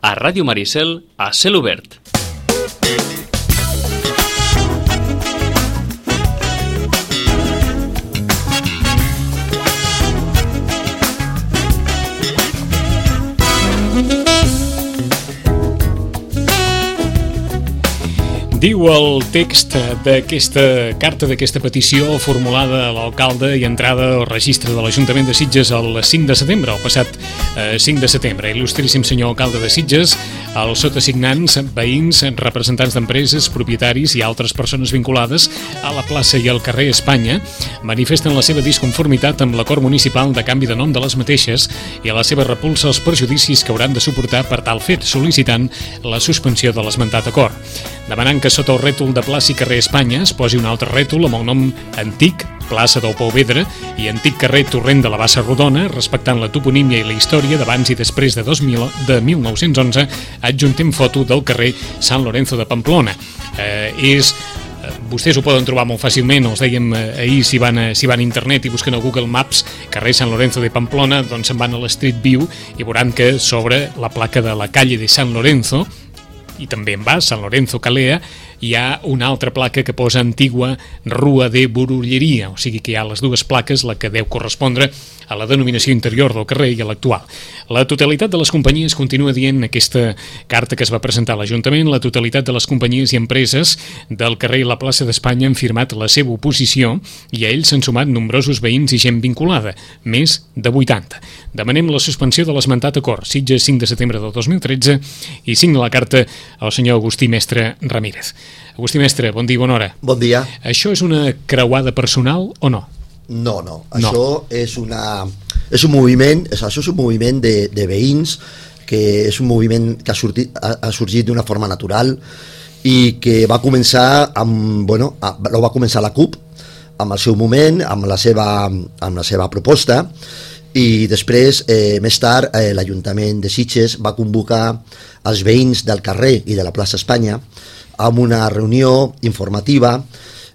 A Ràdio Maricel, a cel obert. Diu el text d'aquesta carta, d'aquesta petició formulada a l'alcalde i entrada al registre de l'Ajuntament de Sitges el 5 de setembre, el passat 5 de setembre. Il·lustríssim senyor alcalde de Sitges, els sotasignants, veïns, representants d'empreses, propietaris i altres persones vinculades a la plaça i al carrer Espanya manifesten la seva disconformitat amb l'acord municipal de canvi de nom de les mateixes i a la seva repulsa als perjudicis que hauran de suportar per tal fet, sol·licitant la suspensió de l'esmentat acord. Demanant que sota el rètol de plaça i carrer Espanya es posi un altre rètol amb el nom antic, plaça del Pou Vedra, i antic carrer Torrent de la Bassa Rodona, respectant la toponímia i la història d'abans i després de 1911, adjuntem foto del carrer Sant Lorenzo de Pamplona. Vostès ho poden trobar molt fàcilment, els dèiem ahir, si van a internet i busquen a Google Maps carrer Sant Lorenzo de Pamplona, doncs se'n van a l'Street View i veuran que sobre la placa de la calle de San Lorenzo, i també en va, San Lorenzo Calea, hi ha una altra placa que posa Antigua Rua de Borulleria, o sigui que hi ha les dues plaques, la que deu correspondre a la denominació interior del carrer i a l'actual. La totalitat de les companyies, continua dient aquesta carta que es va presentar a l'Ajuntament, la totalitat de les companyies i empreses del carrer i la plaça d'Espanya han firmat la seva oposició i a ells s'han sumat nombrosos veïns i gent vinculada, més de 80. Demanem la suspensió de l'esmentat acord, Sitges 5 de setembre del 2013, i signa la carta el senyor Agustí Mestre Ramírez. Agustí Mestre, bon dia i bona hora. Bon dia. Això és una creuada personal o no? No. Això és un moviment de veïns, que és un moviment que ha sorgit d'una forma natural i que va començar va començar la CUP amb el seu moment, amb la seva proposta, i després, més tard, l'Ajuntament de Sitges va convocar els veïns del carrer i de la plaça Espanya amb una reunió informativa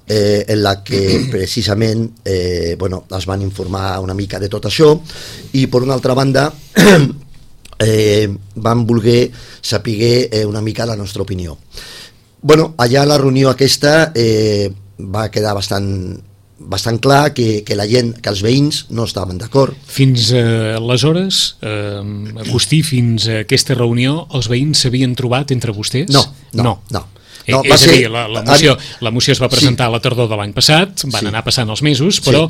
en la que precisament es van informar una mica de tot això, i per una altra banda van voler saber una mica la nostra opinió. Allà la reunió aquesta va quedar bastant clar que la gent, que els veïns no estaven d'acord. Fins aleshores, Agustí, fins a aquesta reunió, els veïns s'havien trobat entre vostès? No. És a dir, la moció es va presentar a la tardor de l'any passat, van anar passant els mesos, però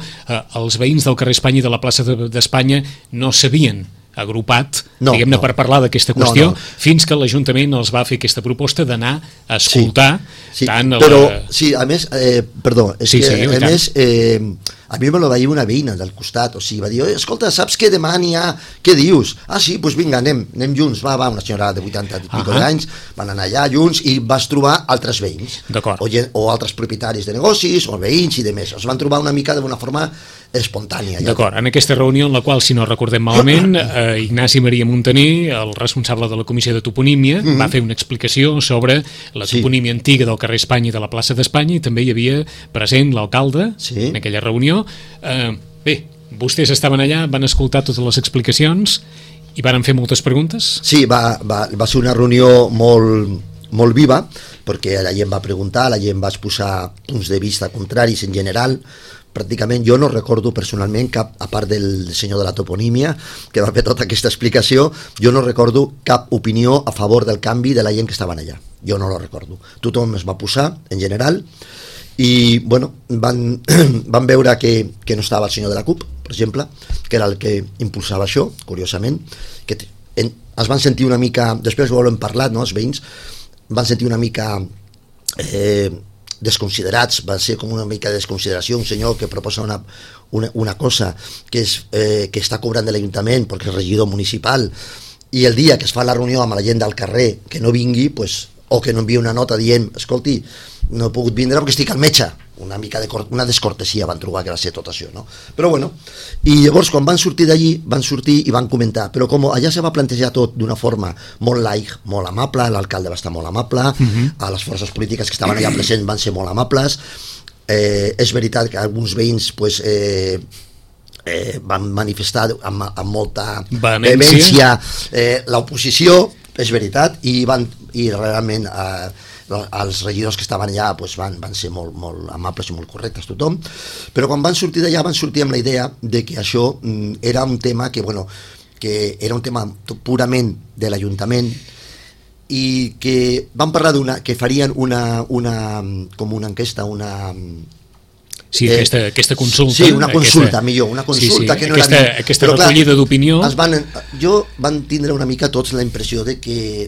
els veïns del carrer Espanya i de la plaça d'Espanya no s'havien agrupat, diguem-ne, per parlar d'aquesta qüestió, fins que l'Ajuntament els va fer aquesta proposta d'anar a escoltar tant... a més, a mi me lo va dir una veïna del costat, o sigui, va dir, escolta, saps que demà n'hi ha, què dius? Ah, sí, doncs vinga, anem junts, va, una senyora de 80 i pico d'anys, van anar allà junts i vas trobar altres veïns, o altres propietaris de negocis, o veïns i de més, es van trobar una mica d'una forma espontània. D'acord, en aquesta reunió en la qual, si no recordem malament, Ignasi Maria Montaner, el responsable de la Comissió de Toponímia, va fer una explicació sobre la toponímia antiga del carrer Espanya i de la plaça d'Espanya, i també hi havia present l'alcalde en aquella reunió. Bé, vostès estaven allà, van escoltar totes les explicacions i van fer moltes preguntes? Sí, va ser una reunió molt viva, perquè la gent va preguntar, la gent va exposar punts de vista contraris en general. Pràcticament jo no recordo personalment cap, a part del senyor de la toponímia que va fer tota aquesta explicació, jo no recordo cap opinió a favor del canvi de la gent que estaven allà, jo no lo recordo. Tothom es va posar en general i van veure que no estava el senyor de la CUP, per exemple, que era el que impulsava això, curiosament, que es van sentir una mica, després ho hem parlat, els veïns van sentir una mica desconsiderats, va ser com una mica de desconsideració, un senyor que proposa una cosa que està cobrant de l'Ajuntament perquè és regidor municipal, i el dia que es fa la reunió amb la gent del carrer que no vingui, o que no envia una nota dient, escolti, no he pogut vindre perquè estic al metge, una descortesia van trobar que va ser tot això, no? Però bueno, i llavors quan van sortir d'allí, van sortir i van comentar, però com allà se va plantejar tot d'una forma molt laic, molt amable, l'alcalde va estar molt amable, a les forces polítiques que estaven allà presents van ser molt amables, és veritat que alguns veïns van manifestar amb molta vehemència l'oposició, és veritat, i realment els regidors que estaven allà pues, van ser molt amables i molt correctes tothom, però quan van sortir d'allà van sortir amb la idea de que això era un tema que era un tema purament de l'Ajuntament, i que van parlar que farien com una enquesta, Sí, aquesta consulta. Sí, una consulta, millor, una consulta que no era... Aquesta recollida d'opinió... Van tindre una mica tots la impressió de que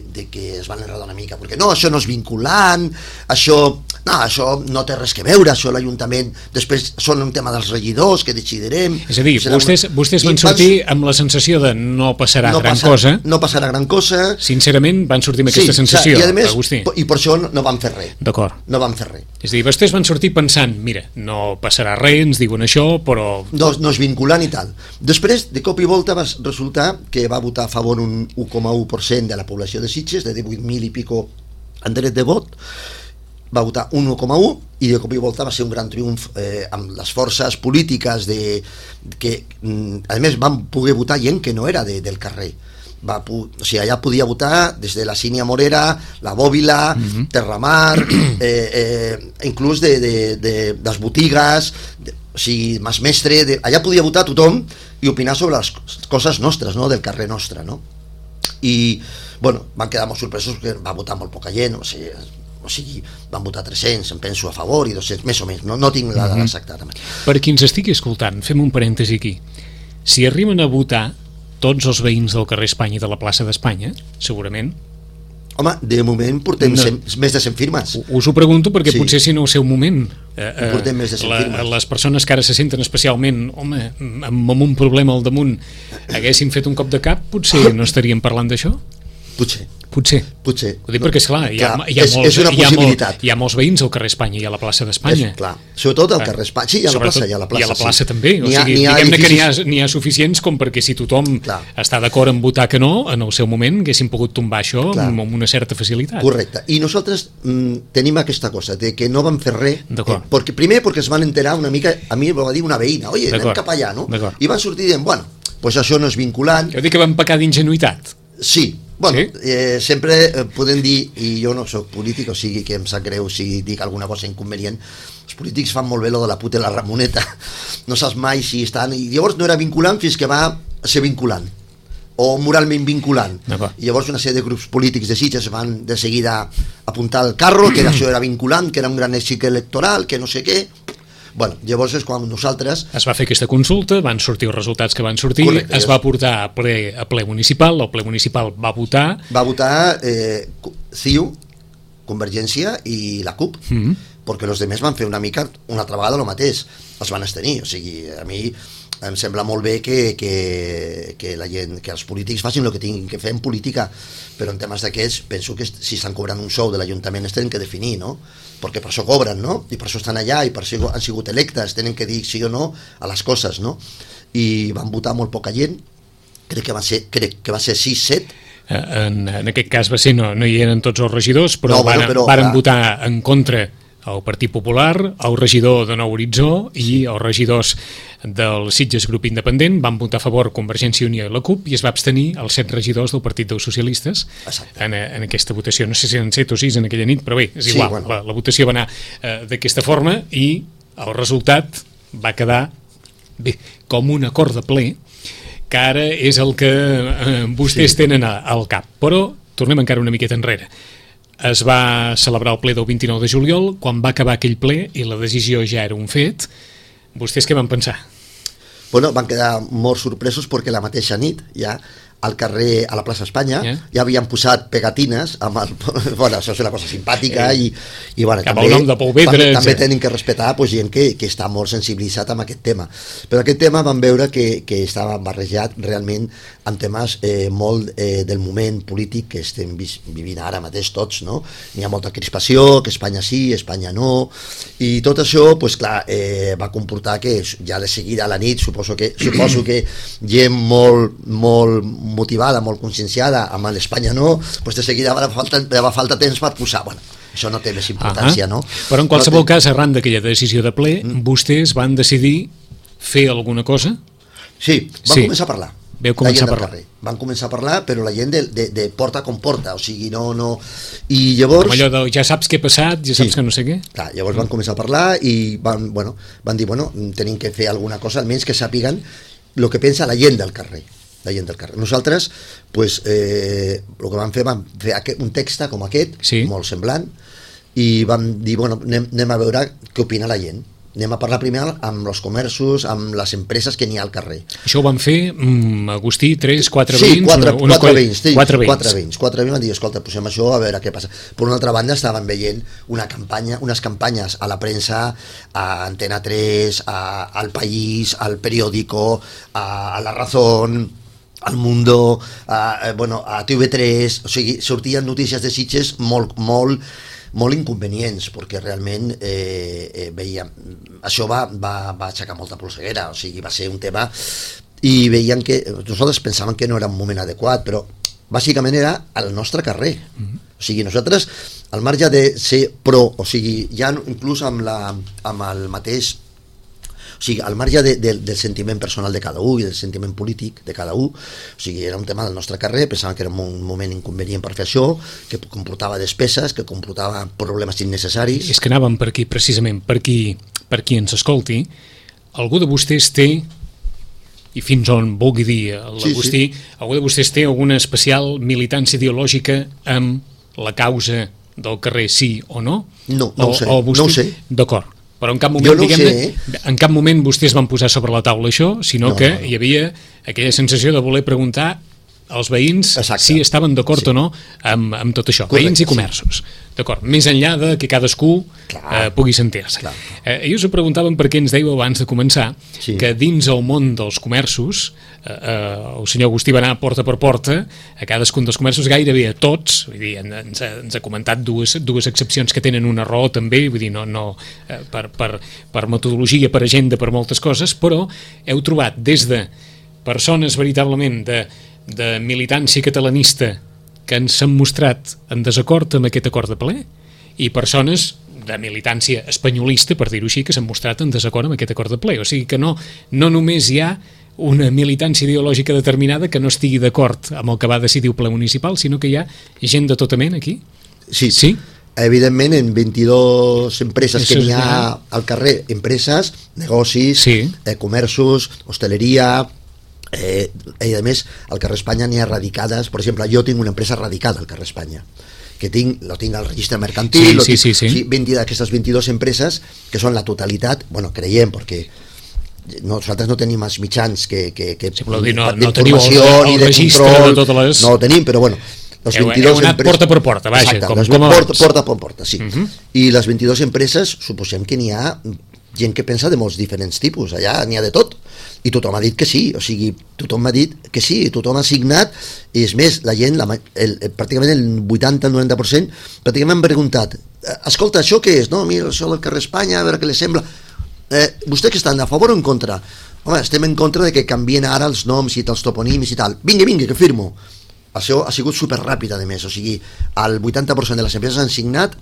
es van enredar una mica, perquè no, això no és vinculant, això no té res que veure, això l'Ajuntament, després són un tema dels regidors que decidirem... És a dir, vostès van sortir amb la sensació de no passarà gran cosa. No passarà gran cosa. Sincerament, van sortir amb aquesta sensació, Agustí. I per això no van fer res. D'acord. No van fer res. És a dir, vostès van sortir pensant, mira, no passarà res, ens diuen això, però... No és vinculant i tal. Després, de cop i volta, va resultar que va votar a favor un 1,1% de la població de Sitges, de 18.000 i pico en dret de vot, va votar un 1,1, i de cop i volta va ser un gran triomf amb les forces polítiques que, a més, van poder votar gent que no era del carrer. O sigui, allà podia votar des de la Sínia Morera, la Bòbila, Terramar, inclús de les botigues, o sigui, Mas Mestre, allà podia votar tothom i opinar sobre les coses nostres, no? Del carrer nostre, no? I, bueno, van quedar molt sorpresos perquè va votar molt poca gent, o sigui, van votar 300, em penso, a favor, i 200, més o menys, no tinc la dada exacta. Per qui ens estigui escoltant, fem un parèntesi aquí. Si arriben a votar tots els veïns del carrer Espanya i de la plaça d'Espanya, segurament... Home, de moment portem més de 100 firmes. Us ho pregunto perquè potser si no el seu moment. Portem més de 100 firmes. Les persones que ara se senten especialment, home, amb un problema al damunt, haguessin fet un cop de cap, potser no estaríem parlant d'això? Potser. Ho dic perquè, esclar, hi ha molts veïns al carrer Espanya i a la plaça d'Espanya. Clar, sobretot al carrer Espanya, sí, i a la plaça. I a la plaça també, o sigui, diguem-ne que n'hi ha suficients com perquè si tothom està d'acord en votar que no, en el seu moment haguessin pogut tombar això amb una certa facilitat. Correcte, i nosaltres tenim aquesta cosa, de que no vam fer res, primer perquè es van enterar una mica, a mi va dir una veïna, oye, anem cap allà, no? I van sortir dient, bueno, pues això no és vinculant. Jo dic que van pecar d'ingenuïtat. Sí, bueno, sempre podem dir, i jo no soc polític, o sigui que em sap greu si dic alguna cosa inconvenient, els polítics fan molt bé lo de la puta i la Ramoneta, no saps mai si estan, i llavors no era vinculant fins que va ser vinculant, o moralment vinculant, i llavors una sèrie de grups polítics de Sitges van de seguida apuntar al carro, que això era vinculant, que era un gran èxit electoral, que no sé què. Bueno, llavors és quan nosaltres... Es va fer aquesta consulta, van sortir els resultats que van sortir, es va portar a ple municipal, el ple municipal va votar... Va votar CiU, Convergència i la CUP, perquè els altres van fer una altra vegada el mateix, els van abstenir, o sigui, a mi em sembla molt bé que la gent, que els polítics facin el que tinguin que fer en política, però en temes d'aquests penso que si estan cobrant un sou de l'Ajuntament es tenen que definir, no? Perquè per això cobren, no? I per això estan allà i per això han sigut electes, tenen que dir sí o no a les coses, no? I van votar molt poca gent, crec que va ser 6-7. En aquest cas va ser, no hi eren tots els regidors, però varen votar en contra el Partit Popular, el regidor de Nou Horitzó i els regidors del Sitges Grup Independent van votar a favor Convergència i Unió i la CUP i es va abstenir els 7 regidors del Partit dels Socialistes en aquesta votació. No sé si eren 7 o 6 en aquella nit, però bé, és igual. La votació va anar d'aquesta forma i el resultat va quedar com un acord de ple, que ara és el que vostès tenen al cap. Però tornem encara una miqueta enrere. Es va celebrar el ple del 29 de juliol, quan va acabar aquell ple i la decisió ja era un fet. Vostès què van pensar? Bueno, van quedar molt sorpresos perquè la mateixa nit ja al carrer, a la plaça Espanya, ja havien posat pegatines amb el... Bueno, això és una cosa simpàtica i bueno, també tenen que respectar gent que està molt sensibilitzat amb aquest tema. Però aquest tema van veure que estava barrejat realment amb temes molt del moment polític que estem vivint ara mateix tots, no? N'hi ha molta crispació, que Espanya sí, Espanya no, i tot això, doncs clar, va comportar que ja de seguida a la nit, suposo que gent molt motivada, molt conscienciada amb l'Espanya no, doncs de seguida va falta temps per posar, bueno, això no té més importància, no? Però en qualsevol cas, arran d'aquella decisió de ple, vostès van decidir fer alguna cosa? Sí, van començar a parlar. Veu començar a parlar. Van començar a parlar, però la gent de porta com porta, o sigui, no... I llavors... Com allò de ja saps què ha passat, ja saps que no sé què. Clar, llavors van començar a parlar i van dir, tenim que fer alguna cosa, almenys que sàpiguen el que pensa la gent del carrer. Nosaltres, pues, el que vam fer un text com aquest, molt semblant, i vam dir, anem a veure què opina la gent. Anem a parlar primer amb els comerços, amb les empreses que n'hi ha al carrer. Això ho van fer, Agustí, 3-4 veïns? Sí, 4 veïns. 4 veïns van dir, escolta, posem això a veure què passa. Per una altra banda, estaven veient unes campanyes a la premsa, a Antena 3, al País, al Periódico, a La Razón, al Mundo, a TV3, o sigui, sortien notícies de Sitges molt inconvenients, perquè realment veiem, això va aixecar molta polseguera, o sigui, va ser un tema, i veiem que nosaltres pensàvem que no era un moment adequat, però bàsicament era al nostre carrer. O sigui, nosaltres, al marge de ser pro, o sigui, ja inclús amb el mateix, o sigui, al marge del sentiment personal de cada un i del sentiment polític de cada un, o sigui, era un tema del nostre carrer, pensàvem que era un moment inconvenient per fer això, que comportava despeses, que comportava problemes innecessaris. És que anàvem per aquí, precisament, per qui ens escolti, algú de vostès té, i fins on vulgui dir l'Agustí, algú de vostès té alguna especial militància ideològica amb la causa del carrer, sí o no? No ho sé. D'acord. Però en cap moment, en cap moment vostès van posar sobre la taula això, sinó que hi havia aquella sensació de voler preguntar als veïns si estaven d'acord o no amb tot això, veïns i comerços. D'acord, més enllà de que cadascú pugui sentir-se. I us ho preguntàvem perquè ens dèieu abans de començar que dins el món dels comerços el senyor Agustí va anar porta per porta a cadascun dels comerços, gairebé a tots, vull dir, ens ha comentat dues excepcions que tenen una raó també, vull dir, per metodologia, per agenda, per moltes coses, però heu trobat des de persones veritablement de militància catalanista que ens han mostrat en desacord amb aquest acord de ple i persones de militància espanyolista, per dir-ho així, que s'han mostrat en desacord amb aquest acord de ple. O sigui que no només hi ha una militància ideològica determinada que no estigui d'acord amb el que va decidir el ple municipal, sinó que hi ha gent de tota mena aquí? Sí. Evidentment, en 22 empreses que n'hi ha al carrer, empreses, negocis, comerços, hostaleria, i a més al carrer Espanya n'hi ha radicades. Per exemple, jo tinc una empresa radicada al carrer Espanya que tinc al registre mercantil, d'aquestes 22 empreses que són la totalitat, creiem, perquè nosaltres no tenim els mitjans d'informació ni de control, no ho tenim, però les 22 empreses porta per porta, vaja, porta per porta, sí. I les 22 empreses suposem que n'hi ha gent que pensa de molts diferents tipus, allà n'hi ha de tot, i tothom ha dit que sí, o sigui, tothom ha dit que sí, tothom ha signat, i és més, la gent, pràcticament el 80-90%, pràcticament han preguntat, escolta, això què és? No, mira, això del carrer Espanya, a veure què li sembla. Vostès que estan a favor o en contra? Home, estem en contra de que canvien ara els noms i els toponims i tal. Vinga, que firmo. Això ha sigut superràpid, a més, o sigui, el 80% de les empreses han signat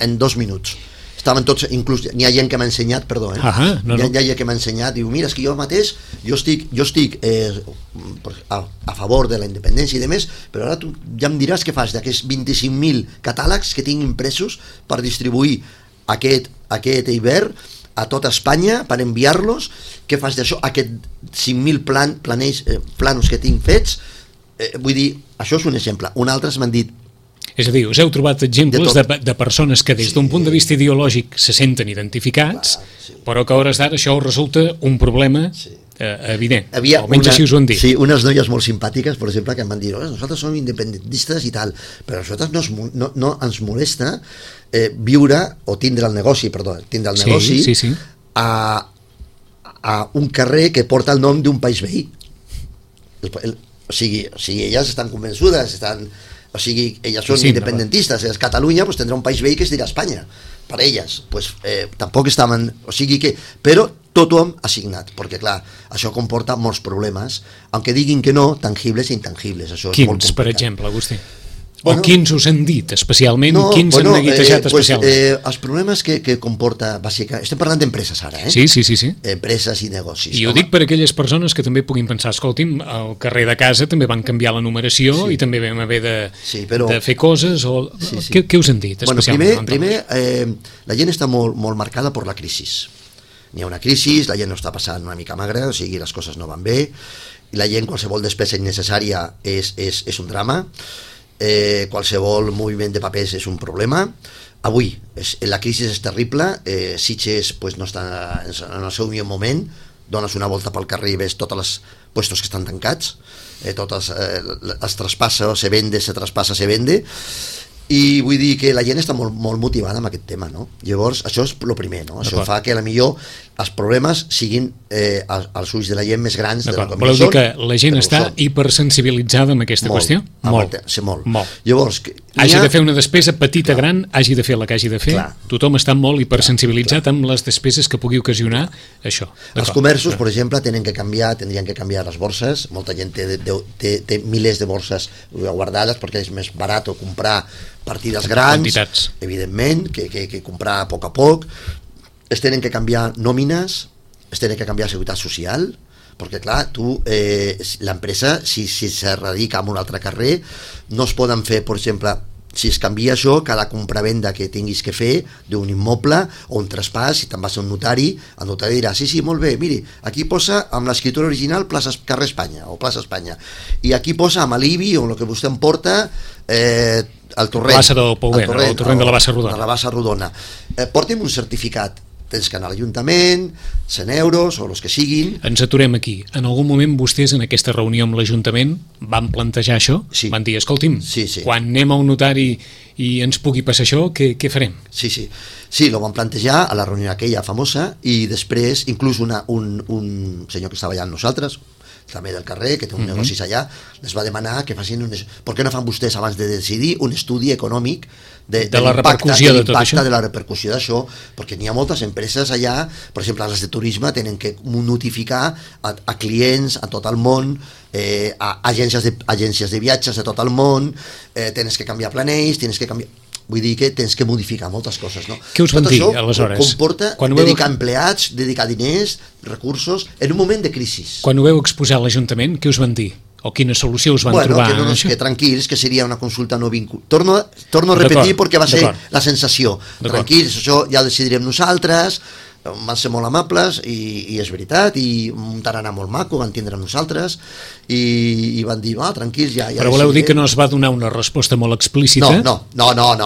en 2 minuts. Estaven tots, inclús n'hi ha gent que m'ha ensenyat, perdó, hi ha gent que m'ha ensenyat, diu, mira, és que jo mateix, jo estic a favor de la independència i demés, però ara tu ja em diràs què fas d'aquests 25.000 catàlegs que tinc impresos per distribuir aquest hivern a tota Espanya, per enviar-los, què fas d'això, aquests 5.000 planos que tinc fets, vull dir, això és un exemple. Un altre m'han dit, és a dir, us heu trobat exemples de persones que des d'un punt de vista ideològic se senten identificats, però que a hores d'ara això resulta un problema evident, almenys així us ho han dit. Sí, unes noies molt simpàtiques, per exemple, que em van dir, nosaltres som independentistes i tal, però a nosaltres no ens molesta viure o tindre el negoci a un carrer que porta el nom d'un país veí. O sigui, elles estan convençudes, o sigui, elles són independentistes, és Catalunya, doncs tindrà un país veí que es dirà Espanya, per elles, doncs tampoc estaven, o sigui que, però tothom ha signat, perquè clar, això comporta molts problemes, aunque diguin que no, tangibles i intangibles, això és molt complicat. Quins, per exemple, Agustí? O quins us han dit especialment? Quins han neguitejat especialment? Els problemes que comporta, bàsicament, estem parlant d'empreses ara, Sí. Empreses i negocis. I ho dic per aquelles persones que també puguin pensar, escolti'm, al carrer de casa també van canviar la numeració i també vam haver de fer coses, o què us han dit especialment? Primer, la gent està molt marcada per la crisi. N'hi ha una crisi, la gent no està passant una mica magra, o sigui, les coses no van bé, i la gent, qualsevol despesa innecessària és un drama, qualsevol moviment de papers és un problema. Avui la crisi és terrible, Sitges no està en el seu millor moment, dones una volta pel carrer i ves tots els puestos que estan tancats, totes els traspassa, se vende, se traspassa, se vende, i vull dir que la gent està molt motivada amb aquest tema, no? Llavors, això és el primer, no? Això fa que potser els problemes siguin als ulls de la gent més grans de la que voleu dir que la gent està hipersensibilitzada amb aquesta qüestió? Molt. Llavors, hagi de fer una despesa petita, gran, hagi de fer la que hagi de fer, tothom està molt hipersensibilitzat amb les despeses que pugui ocasionar això. Els comerços, per exemple, tindrien que canviar les borses. Molta gent té milers de borses guardades perquè és més barat comprar partides grans, evidentment, que comprar a poc. Es tenen que canviar nòmines, es tenen que canviar seguretat social, perquè clar, l'empresa, si se radica en un altre carrer, no es poden fer, per exemple, si es canvia això, cada compravenda que tinguis que fer d'un immoble o un traspàs, si te'n vas a un notari, el notari dirà, sí, molt bé, miri, aquí posa amb l'escriptura original carrer Espanya o plaça Espanya, i aquí posa amb l'IBI o el que vostè em porta el torrent, plaça del Pouent, el torrent de la Bassa Rodona. De la Bassa Rodona. Porti'm un certificat, tens que anar a l'Ajuntament, 100 euros o els que siguin. Ens aturem aquí. En algun moment vostès en aquesta reunió amb l'Ajuntament van plantejar això? Sí. Van dir, escolti'm, quan anem a un notari i ens pugui passar això, què farem? Sí, ho van plantejar a la reunió aquella famosa, i després inclús un senyor que estava allà amb nosaltres, també del carrer, que té un negocis allà, les va demanar que facin per què no fan vostès abans de decidir un estudi econòmic de la repercussió de tot això? De la repercussió d'això, perquè n'hi ha moltes empreses allà, per exemple les de turisme tenen que notificar a clients a tot el món, a agències de viatges de tot el món, tens que canviar planells, tens que canviar... Vull dir que tens que modificar moltes coses, no? Què us van dir, aleshores? Tot això comporta dedicar empleats, dedicar diners, recursos, en un moment de crisi. Quan ho veu exposar a l'Ajuntament, què us van dir? O quina solució us van trobar? Que tranquils, que seria una consulta no vinculada. Torno a repetir perquè va ser la sensació. Tranquils, això ja ho decidirem nosaltres, van ser molt amables i és veritat, i un tarannà molt maco, van tindre nosaltres i van dir, tranquils, ja però voleu dir que no es va donar una resposta molt explícita? No,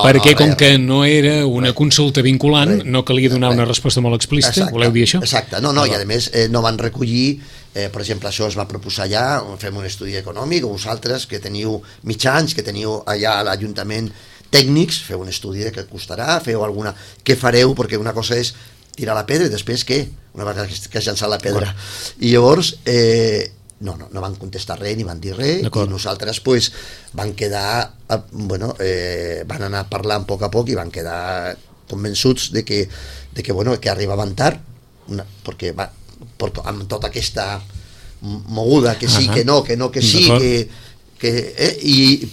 perquè com que no era una consulta vinculant, no calia donar una resposta molt explícita? Voleu dir això? Exacte, i a més no van recollir, per exemple, això es va proposar allà, fem un estudi econòmic, o vosaltres que teniu mitjans, que teniu allà a l'Ajuntament tècnics, feu un estudi de què costarà, feu alguna... Què fareu? Perquè una cosa és tirar la pedra i després què? Una vegada que has llançat la pedra. I llavors no van contestar res ni van dir res, i nosaltres van quedar van anar parlant a poc i van quedar convençuts de que arribaven tard, perquè amb tota aquesta moguda que sí, que no, que sí,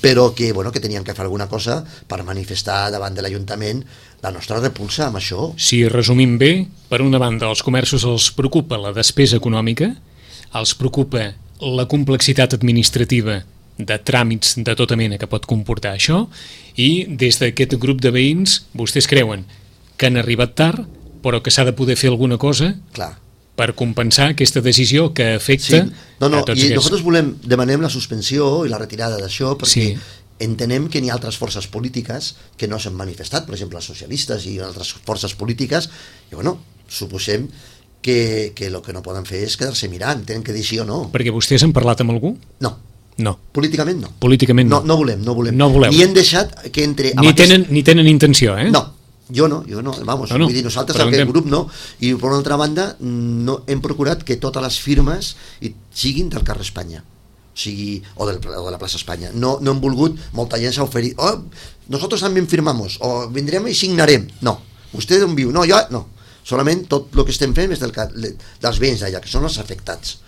però que tenien que fer alguna cosa per manifestar davant de l'Ajuntament la nostra repulsa amb això. Si resumim bé, per una banda els comerços els preocupa la despesa econòmica, els preocupa la complexitat administrativa de tràmits de tota mena que pot comportar això, i des d'aquest grup de veïns vostès creuen que han arribat tard, però que s'ha de poder fer alguna cosa per compensar aquesta decisió que afecta a tots aquests. I nosaltres demanem la suspensió i la retirada d'això perquè entenem que n'hi ha altres forces polítiques que no s'han manifestat, per exemple els socialistes i altres forces polítiques, i suposem que el que no poden fer és quedar-se mirant, tenen que dir sí o no. Perquè vostès han parlat amb algú? No. Políticament no. No volem. No voleu. Ni hem deixat que entre... Ni tenen intenció, eh? No. Jo no, vull dir, nosaltres aquest grup no, i per una altra banda no hem procurat que totes les firmes siguin del carrer Espanya, o de la plaça Espanya. No hem volgut, molta gent s'ha oferit, nosotros también firmamos, o vendrem i signarem. No, vostè d'on viu? No, jo no. Solament tot el que estem fent és dels veïns d'allà, que són els afectats.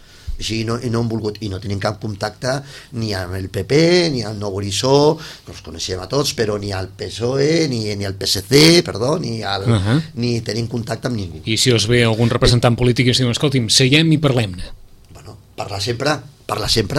i no han volgut, i no tenim cap contacte ni amb el PP, ni amb Nou Horitzó, que els coneixem a tots, però ni al PSOE, ni al PSC, perdó, ni tenim contacte amb ningú. I si us ve algun representant polític i us diu, escolti'm, seiem i parlem-ne? Bueno, parlar sempre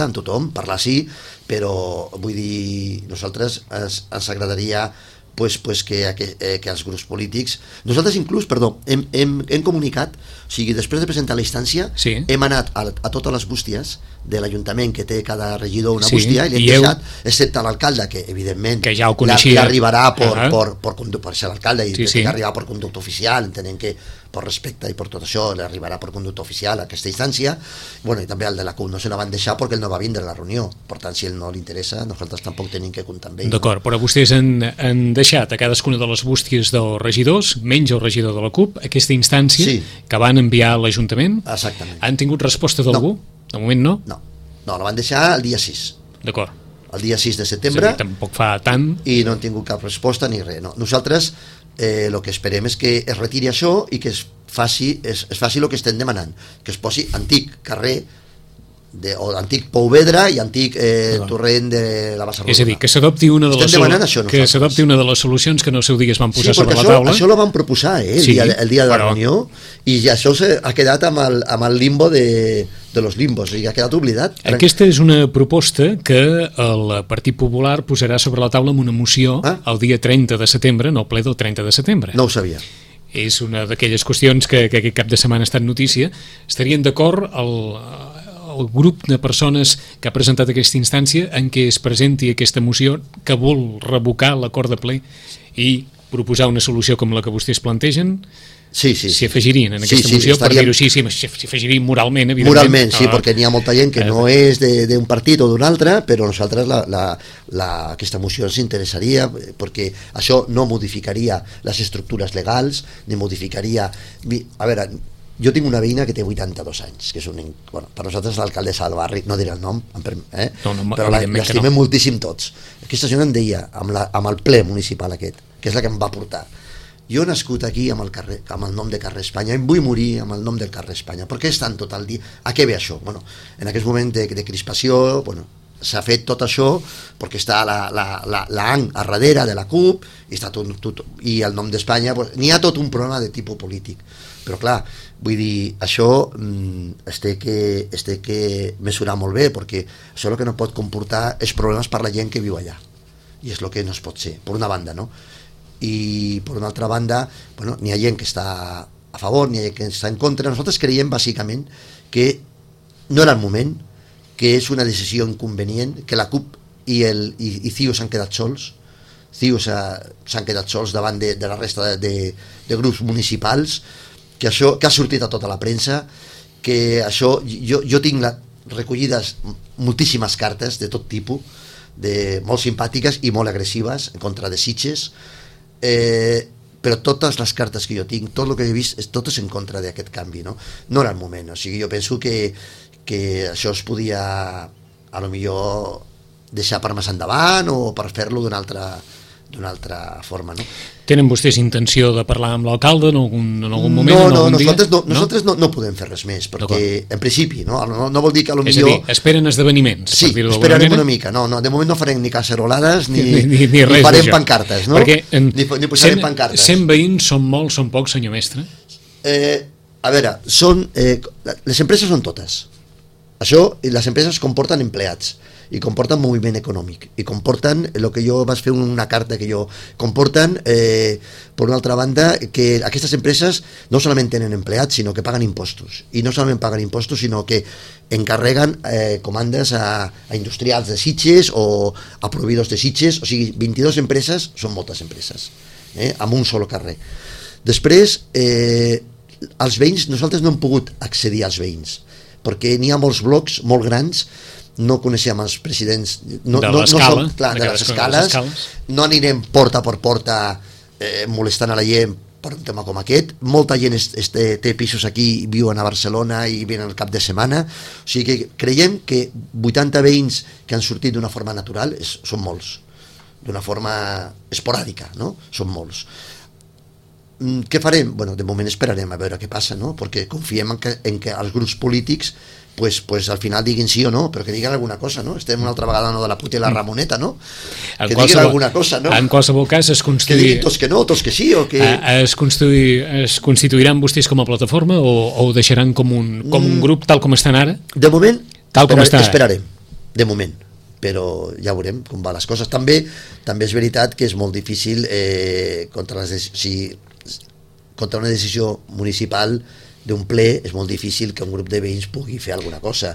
amb tothom, parlar sí, però vull dir, nosaltres ens agradaria que els grups polítics... Nosaltres inclús, hem comunicat, o sigui, després de presentar la instància, hem anat a totes les bústies de l'Ajuntament, que té cada regidor una bústia, i l'hem deixat, excepte l'alcalde, que evidentment que ja ho coneixia, l'arribarà per ser l'alcalde, i que arribarà per conducte oficial, entenent que per respecte i per tot això l'arribarà per conducte oficial a aquesta instància. Bueno, i també el de la CUP no se la van deixar perquè ell no va vindre a la reunió, per tant, si ell no li interessa, nosaltres tampoc tenim que comptar amb ell. D'acord, però vostès han deixat a cadascuna de les bústies dels regidors, menys el regidor de la CUP, aquesta instància que van enviar a l'Ajuntament. Exactament. Han tingut resposta d'algú? De moment no? No, la van deixar el dia 6. D'acord. El dia 6 de setembre. Tampoc fa tant. I no han tingut cap resposta ni res. No. Nosaltres el que esperem és que es retiri això i que es faci el que estem demanant, que es posi antic carrer o antic Pouvedra i antic torrent de la Bassa Rodona. És a dir, que s'adopti una de les solucions que en el seu dia es van posar sobre la taula. Això lo van proposar el dia de la reunió, i això ha quedat amb el limbo de los limbos, i ha quedat oblidat. Aquesta és una proposta que el Partit Popular posarà sobre la taula amb una moció el dia 30 de setembre, no el ple del 30 de setembre. No ho sabia. És una d'aquelles qüestions que aquest cap de setmana ha estat notícia. Estarien d'acord el grup de persones que ha presentat aquesta instància en què es presenti aquesta moció que vol revocar l'acord de ple i proposar una solució com la que vostès plantegen? S'hi afegirien en aquesta moció, per dir-ho així, s'hi afegirien moralment, evidentment. Moralment, sí, perquè n'hi ha molta gent que no és d'un partit o d'un altre, però nosaltres aquesta moció ens interessaria, perquè això no modificaria les estructures legals, ni modificaria... A veure, jo tinc una veïna que té 82 anys, que és per nosaltres l'alcaldessa del barri, no diré el nom, però l'estimem moltíssim tots. Aquesta senyora em deia, amb el ple municipal aquest, que és la que em va portar, jo he nascut aquí amb el nom de carrer Espanya, em vull morir amb el nom del carrer Espanya. Per què estan tot el dia? A què ve això? En aquest moment de crispació, s'ha fet tot això perquè està l'ANC a darrere de la CUP i el nom d'Espanya, n'hi ha tot un problema de tipus polític. Però clar, vull dir, això es té que mesurar molt bé, perquè això el que no pot comportar és problemes per la gent que viu allà, i és el que no es pot ser, per una banda, no? I per una altra banda, n'hi ha gent que està a favor, n'hi ha gent que està en contra. Nosaltres creiem bàsicament que no era el moment, que és una decisió inconvenient, que la CUP i CiU s'han quedat sols, s'han quedat sols davant de la resta de grups municipals, que ha sortit a tota la premsa, que això, jo tinc recollides moltíssimes cartes de tot tipus, molt simpàtiques i molt agressives en contra de Sitges, però totes les cartes que jo tinc, tot el que he vist, tot és en contra d'aquest canvi, no era el moment. O sigui, jo penso que això es podia a lo millor deixar per més endavant o per fer-lo d'una altra forma, no? Tenen vostès intenció de parlar amb l'alcalde en algun moment? Nosaltres no podem fer res més, perquè en principi no vol dir que a lo millor... És a dir, esperen esdeveniments. Sí, esperarem una mica. De moment no farem ni cacerolades ni farem pancartes, no? Perquè ni posarem pancartes. 100 veïns són molts, són pocs, senyor mestre? A veure, les empreses són totes. Això, les empreses comporten empleats i comporten moviment econòmic i comporten, el que jo vaig fer una carta que jo comporten, per una altra banda, que aquestes empreses no solament tenen empleats, sinó que paguen impostos, i no solament paguen impostos, sinó que encarreguen comandes a industrials de Sitges o a proveïdors de Sitges. O sigui, 22 empreses són moltes empreses, amb un sol carrer. Després, els veïns, nosaltres no hem pogut accedir als veïns, perquè n'hi ha molts blocs molt grans, no coneixem els presidents de les escales, no anirem porta per porta molestant a la gent per un tema com aquest. Molta gent té pisos aquí, viuen a Barcelona i venen al cap de setmana, o sigui que creiem que 80 veïns que han sortit d'una forma natural són molts, d'una forma esporàdica, no? Són molts. què farem? Bueno, de moment esperarem a veure què passa, no? Perquè confiem en que els grups polítics pues al final diguin sí o no, però que diguin alguna cosa, no? Estem una altra vegada no de la puta i la Ramoneta, no? Que diguin alguna cosa, no? En qualsevol cas que diguin tots que no, tots que sí, o que... Es constituiran vostès com a plataforma o ho deixaran com un grup tal com estan ara? De moment, esperarem, de moment, però ja veurem com van les coses. També és veritat que és molt difícil contra una decisió municipal d'un ple, és molt difícil que un grup de veïns pugui fer alguna cosa.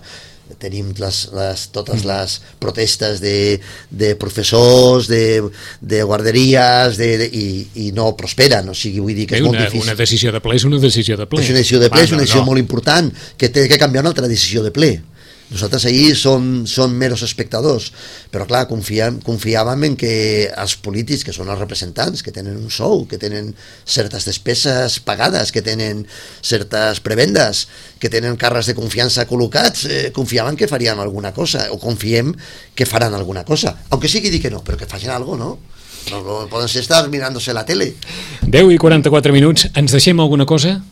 Tenim totes les protestes de professors, de guarderies i no prosperen, o sigui, vull dir que és molt difícil. Una decisió de ple és una decisió de ple. És una decisió de ple, és una decisió molt important que té que canviar una altra decisió de ple. Nosaltres ahir som meros espectadors, però clar, confiàvem en que els polítics, que són els representants, que tenen un sou, que tenen certes despeses pagades, que tenen certes prebendes, que tenen càrrecs de confiança col·locats, confiàvem que farien alguna cosa, o confiem que faran alguna cosa, aunque sigui dir que no, però que facin alguna cosa, no? No poden estar mirándose la tele. 10:44 minuts, ens deixem alguna cosa?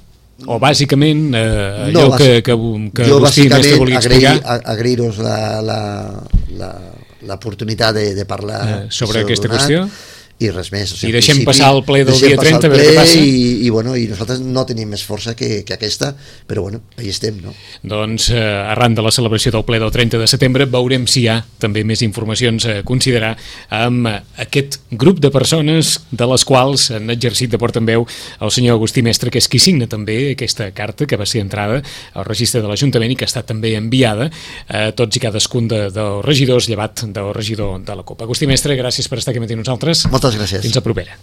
O bàsicament allò que Agustí Mestre volia explicar? Agrair-vos l'oportunitat de parlar sobre aquesta qüestió i res més. I deixem passar el ple del dia 30 a veure què passa. I nosaltres no tenim més força que aquesta, però bueno, ahí estem, no? Doncs arran de la celebració del ple del 30 de setembre veurem si hi ha també més informacions a considerar amb aquest grup de persones de les quals han exercit de portaveu el senyor Agustí Mestre, que és qui signa també aquesta carta que va ser entrada al registre de l'Ajuntament i que ha estat també enviada a tots i cadascun dels regidors, llevat del regidor de la CUP. Agustí Mestre, gràcies per estar aquí amb nosaltres. Moltes gràcies. Fins a propera.